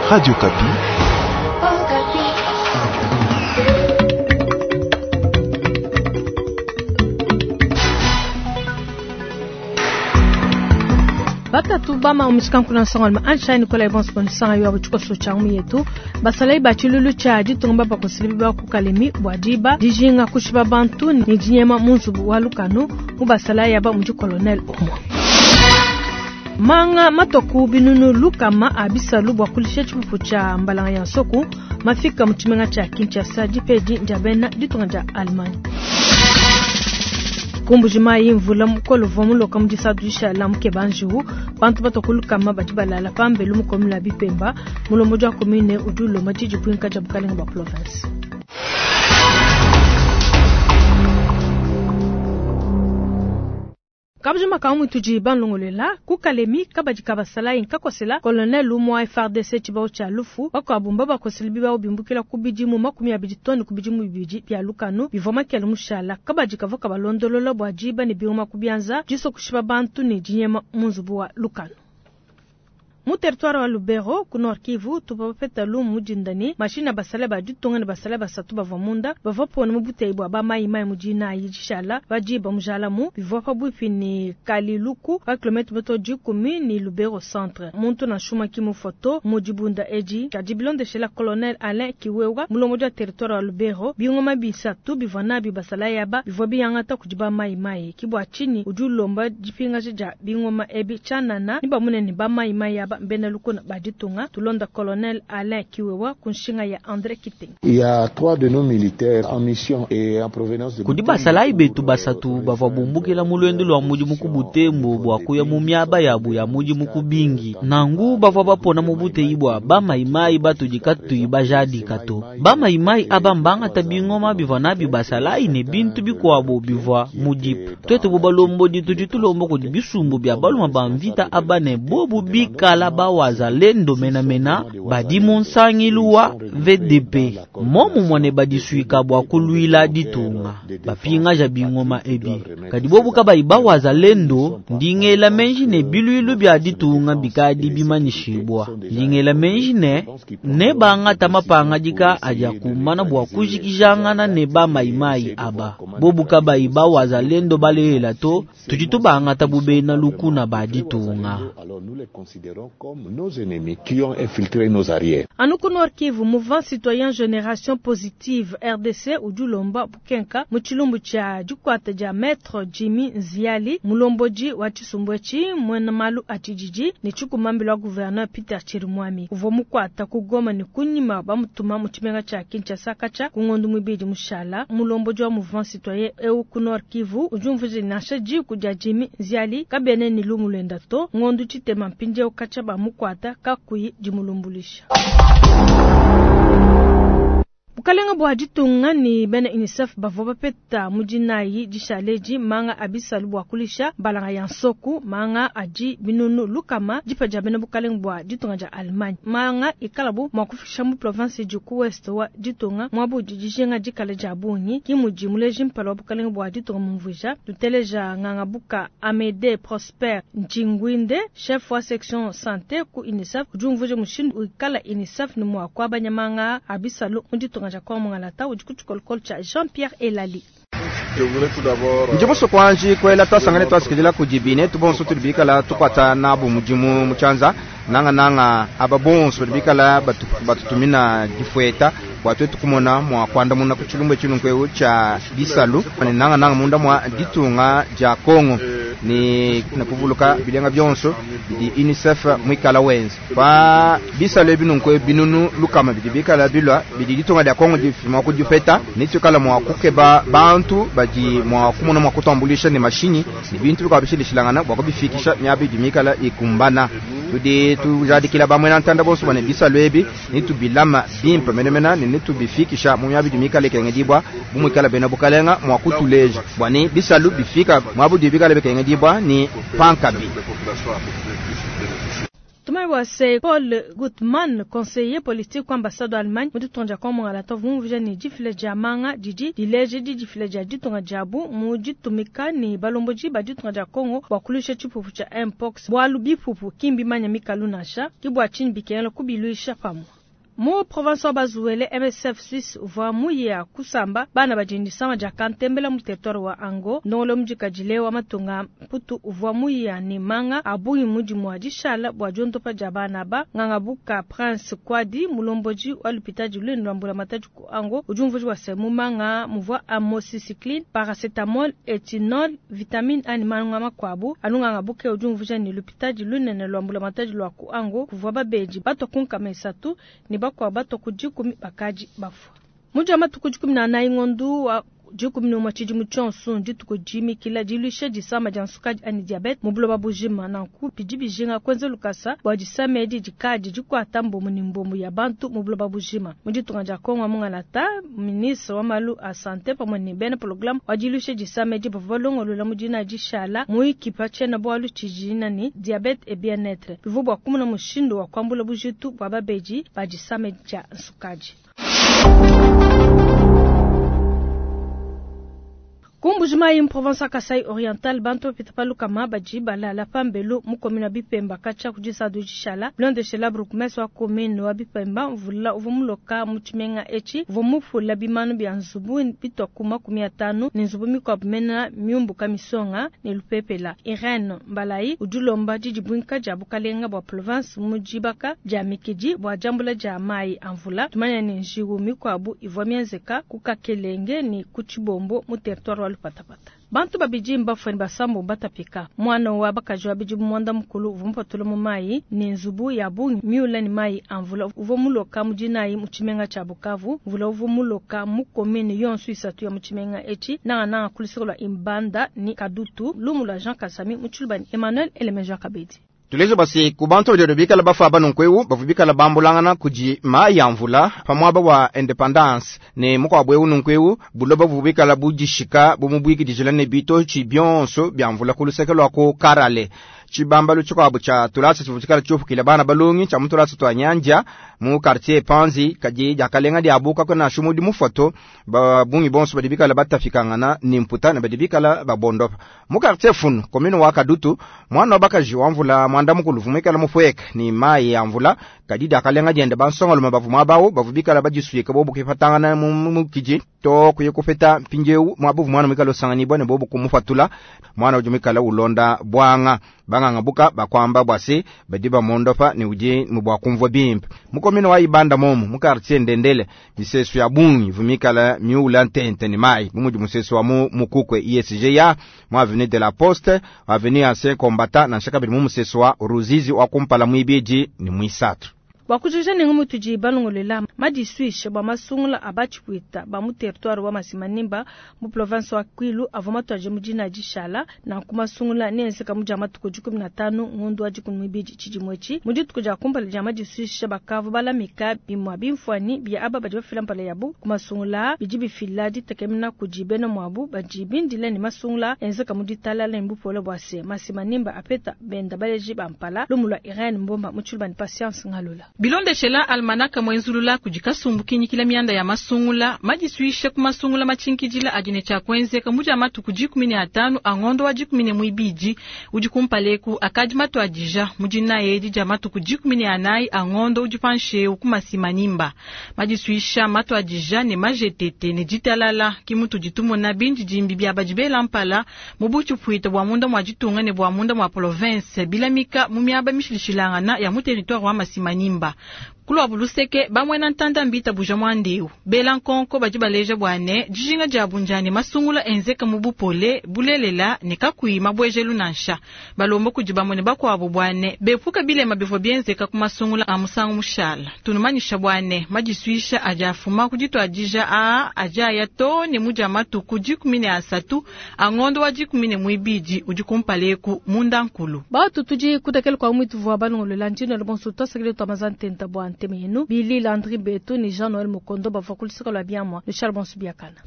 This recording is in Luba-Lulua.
Radio Okapi. Batatu bama omusikankuna nsongalume ansha Nicolas Evans bonisanga yo abutshikoso tshia mu yetu basalayi ba tshilulu tshia ditunga babakosele biba ku Kalemi bua diba dijinga kushiba bantu ne dinyema mu nzubu wa lukanu mu basalayi aba mudi colonel umue. Manga matoku binunu lukama a bisalu bua kulisha tshipupu tshia mbalanga ya nsoku mafika mu tshimenga tshia Kinshasa dipedi dia bena ditunga dia Allemagne. Ku Mbuji-Mayi mvula mukole uvua muloka mu disatu dishala mukeba njiwu, bantu batua ku lukama badi balala pambelu mu commune ya Bipemba. Mulombodi wa commune udi ulomba didibuinka dia bukalenga bua province. Kabujima ka mutudi banlongoluela ku Kalemi kabadi ka basalayi nkakosela colonel umua FARDC tshibawu tshia lufu, bakuabu mbabakosela bibawu bimbukila ku bidimu 20 too ne ku bidimu 2 bia lukanu bivua makele mushala. Kabadi kavua kabalondolola bua diba ne bingoma ku bianza, disua kushipa bantu ne dinyema mu nzubu wa lukanu. Mu territoire wa Lubero ku Nord Kivu tuvua bapeta lumu mu dinda ne mashina a basalayi ba ditunga ne basalayi basatu bavua munda bavua pona mu buteyi bua ba mayi mayi mu dinayi dishala pa diba mujalamu bivua pabuipi ne Kaliluku pa kilometre metro dikumi ne Lubero centre. Muntu nansha umue ki mufua to mu dibunda edi, kadi bilondeshela colonel Alain Kiwewa mulombodi wa territoire wa Lubero, bingoma bisatu bivua nabi basalayi aba bivua biangata kudi ba mayi mayi. Ki bua tshinyi udi ulomba dipingaja dia bingoma ebi tshianana ne bamune ne ba mayi mayi aba mbena lukuna ba ditunga. Tulonda colonel Alain Kiwewa ku nshinga ya Andre Kitenge. Il y a 3 de nos militaires en mission et en provenance de Kudi basalayi betu basatu bavua bumbukila mu luendu lua mudimu ku Butembo bua kuya mu miaba yabu ya mudimu ku Bingi. Nangu bavua bapona mu buteyi bua ba mayimayi batudi katuyi bajadika to. Ba mayimayi aba mbangata bingoma bivua nabi basalayi ne bintu bikuabu bivua mu dip. Tuetu bu balombodi tudi tulomba kudi bisumbu bia baluma ba mvita aba ne bobu bikala ba wazalendo menamena badi mu nsangilu wa VDP. Momu mwane badisuika bua kuluila ditunga bapingaja bingoma ebi. Kadi bobu kabayi ba wazalendo ndingela menji ne biluilu bia ditunga bikadi bimanyishibwa. Ndingela menji ne ne bangata mapangadika adi akumana bua kujikijangana ne ba mayimayi aba. Bobu kabayi ba wazalendo balelela to tudi tubangata bubena lukuna ba ditunga. Alors nous les considérons comme nos ennemis qui ont infiltré nos arrières. Anu ku Nord Kivu, Mouvement Citoyen Génération Positive RDC udi ulomba bukenka mu tshilumbu tshia dikuata dia Maître Jimmy Nziali mulombodi wa tshisumbu etshi muena malu a tshididi ne tshikumambila wa gouverneur Peter Chirimwami uvua mukuata ku Goma ne kunyima bamutuma mu tshimenga tshia Kinshasa katshia ku ngondo muibidi mushala. Mulombodi wa Mouvement Citoyen eu ku Nord Kivu udi umvuija nansha diku dia Jimmy Nziali kabene ne lumu luenda to ngondo tshitema mpindieu katshia bamukuata kakuyi dimulumbulisha. Bukalenga bua ditunga ne bena UNICEF bavua bapeta mu dinayi dishaleji manga a bisalu bua kulisha mbalanga ya nsoku, manga adi binunu lukama dipa dia bena bukalenga bua ditunga dia Allemagne. Manga ikalabu mua kufikisha mu province idi ku ouest wa ditunga muabu udi dijinga dikala dia bungi. Ki mudi muleji mpala wa bukalenga bua ditunga mumvuija. Tuteleja Ngangabuka Amede Prosper Njingwinde, chef wa section santé ku UNICEF, udi umvuija mushindu ikala UNICEF ne mua kuabanya manga a bisalu mu ditunga dia Kongo Mungalata udi ku tshikolokolo tshia Jean-Pierre Elali. Ndi musue kuanji kuela twasangane twasikidila kudi binetu bonso tudi bikala tukuata nabu mudimu mu tshianza nangananga aba bonso badi bikala batutumina difueta bua tuetu kumona mua kuandamuna ku tshilumbu etshi nunku tshia bisalu ne nangananga munda mua ditunga dia Kongo ne kuvuluka bilenga bionso bidi UNICEF muikala wenza pa bisalu ebi nunku binunu lukama bidi bikala bilua bidi ditunga dia Kongo difuma ku dipeta ne tuikala mua kukeba bantu badi mua kumona mua kutuambulisha ne mashinyi ne bintu bikuabu bishilashilangana bua kubifikisha miaba idi mikala ikumbana. Tudi tujadikila bamwe na ntanda bonso bane bisalu ebi ne tubilama bimpe menemene ne tubifikisha mu miaba idi mikala ikengedibwa bu muikala bena bukalenga mua kutuleja bua ne bisalu bifika muaba udi bikala bikengedibwa ne pankabi. Tumanye bua se, Paul Gutmann, conseiller politique ku ambassade wa Allemagne mu ditunga dia Congo Mungalata, uvua mumvuija ne, difila dia manga didi dileja didifila dia ditunga diabu mu ditumika ne balombodi ba ditunga dia Congo bua kuluisha tshipupu tshia Mpox, bualu bipupu ki mbimanye mikalu nansha, ke bua tshinyi bikengela kubiluisha pamue. Mu province wa Bas-Uele, MSF Suisse uvua muye kusamba bana badi ne disama dia kantembela mu territoire wa Ango. Ndongoluelu mudikadile wa matunga a Mputu uvua muye ne manga a bungi mu dimua dishala bua diondopa dia bana aba. Nganga buka Prince Kwadi, mulombodi wa lupitadi lunene lua mbulamatadi ku Ango, udi umvuija bua se, mu manga muvua amoxicilline, paracetamol, ethinol, vitamine A ne manga makuabu. Anu nganga buka udi umvuija ne, lupitadi lunene lua mbulamatadi lua ku Ango kuvua babedi batua ku 300 ne bakuabu batua ku 10 bakadi bafua. Mu dia matuku 14 ngondu wa 11 tshidimu tshionso ndituku dimikila diluisha disama dia nsukadi anyi diabete mu buloba bujima. Nanku bidi bijinga kuenza lukasa bua disama edi dikadi dikuata mbomu ne mbomu ya bantu mu buloba bujima. Mu ditunga dia Congo Mungalata, ministre wa malu a sante pamue ne bena programme wa diluisha disama edi bavua balongolola mu dina dishala muyiki pa tshiena-bualu tshidi ne diabete et bien-etre. Bivua bua kumona mushindu wa kuambula bujitu bua babedi ba disama dia nsukadi. Ku Mbuji-Mayi mu province wa Kasai Oriental, bantu bapita pa lukama badi balala pambelu mu commune wa Bipemba katshia ku disadu dishala. Bilondeshela bourgmestre wa commune wa Bipemba, mvula uvua muloka mu tshimenga etshi uvua mupula bimanu bia nzubu bitua ku 50 ne nzubu mikuabu mena miumbuka misonga ne lupepela. Irene Mbalayi udi ulomba didibuinka dia bukalenga bua province mu dibaka dia mikidi bua diambula dia mayi a mvula. Tumanya ne njiwu mikuabu ivua mienzeka ku Kakelenge ne ku Tshibombo mu territoire wa Lupatapata. Bantu babidi mbafue ne basambo batapika. Muana wa bakaji wa bidimu 90 uvua mupatula mu mayi ne nzubu ya bungi miula ne mayi a mvula uvua muloka mu dinayi mu tshimenga tshia Bukavu. Mvula uvua muloka mu commune yonso isatu ya mu tshimenga etshi, nangananga ku luseke lua Ibanda ne Kadutu. Lumu lua Jean Kasami mu Tshiluba ne Emmanuel Elemeja Kabedi. Tuleje bua se ku bantu badi bikala bafua banunku eu bavua bikala bambulangana kudi mayi a mvula pa muaba wa independance ne mukuabu eu nunku eu buloba buvua bikala budishika bumubuikidijila ne bitotshi bionso bia mvula ku luseke lua ku Karale. Tshibambalu tshikuabu tshia tulasa tshivua tshikala tshiupukila bana balongi tshia mu tulasa tua Nyanja mu quartier Panzi, kadi diakalenga diabu kakuena nansha mudi mufoto babungi bonso badi bikala batafikangana ne mputa ne badi bikala babondopa. Mu quartier Funu, commune wa Kadutu, mwana wa bakaji wa mvula mwanda mukulu uvua muikale mupueka ne mayi ya mvula, kadi diakalenga diende bansongalume bavua muaba awu bavua bikala badisuika bobu kuipatangana mu mukidi to kuya kupeta mpindieu muaba uvua mwana muikale usanganibua ne bobu kumupatula. Mwana udi muikale ulonda buanga banganga buka bakwamba bua se badi bamondopa ne udi ne bua kumvua bimpe. Mu commune wa Ibanda momu mu quartier Ndendele, misesu ya bungi ivua mikale miula ntente ne mayi bu mudi musesu wa mu Mukukwe ISGA, mu avenue de la Poste, avenue Ancien Combattant, nansha kabidi mu musesu wa Ruzizi wa kumpala muibidi ne muisatu. Bua kujikija ne ngumu tudi balongolola madisuishe bua masungula a batshipwita ba mu territoire wa Masimanimba mu province wa Kwilu avua matuadije mu dina dishala. Nanku masungula neenzeka mu dia matuku 15 ngondo wa 12 tshidimu etshi. Mu dituku dia kumpala dia madisuishe bakavua balamika bimua bimfuanyi bia aba badi bafila mpala yabu ku masungula bidi bifila ditekemena kudi bena muabu badi bindile ne masungula enzeka mu ditalala ne bupole bua se Masimanimba apeta benda baleji ba mpala. Lumu lua Irene Mbomba mu Tshiluba ne Patience Ngalula. Bilondeshela almanaka mwenzulula kudi kasumbu kinyikila mianda ya masungula madisuishe ku masungula matshinkidila adi ne tshia kuenzeka mu dia matuku 15 a ngondo wa 12 udi kumpaleku akadi matuadija mu dinayi edi dia matuku 14 a ngondo udi pansheu ku Masimanimba. Madisuisha matuadija ne majetete ne ditalala kimutu ditumona bindi dimbi bia badi bela mpala mu butshipwita bua munda mua ditunga ne bua munda mua province bilamika mu miaba mishilishilangana ya mu territoire wa Masimanimba. Kulwa luseke bamwena ntanda mbita buja mwandeu bela nkonko badi baleja bwane dijinga dia bunjani masungula enzeka mu bupole bulelela ne kakui mabwejelu nansha balomba kudi bamwene bakwabo bwane bepuka bilema bivua bienzeka ku masungula a musangu mushala tunumanyisha bwane madisuisha aja afuma kuditwadija a aja ya to ne muja matuku 13 a ngondo wa 12 udi kumpaleku munda nkulu batu tudi kutakela kwa mwitu vwa balongolola ntino le bonso tosakile twamazantenta bwa ntemenu Billy Landry Beto ni Jean-Noël Mukondo bavua kuluseka lwa biamwa le Charles Bonsu Biakana.